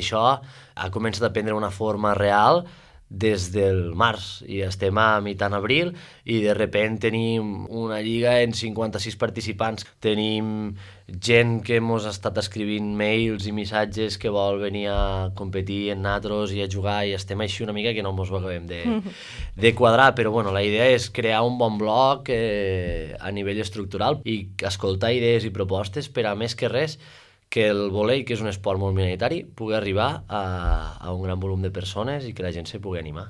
Això ha començat a prendre una forma real des del març i estem a mitjan abril i de repente tenim una lliga en 56 participants. Tenim gent que mos ha estat escrivint mails i missatges que vol venir a competir en natros i a jugar i estem així una mica que no mos ho acabem de quadrar, però bueno, la idea és crear un bon bloc a nivell estructural i escoltar idees i propostes per a més que res que el vòlei, que és un esport molt minoritari, pugui arribar a un gran volum de persones i que la gent se pugui animar.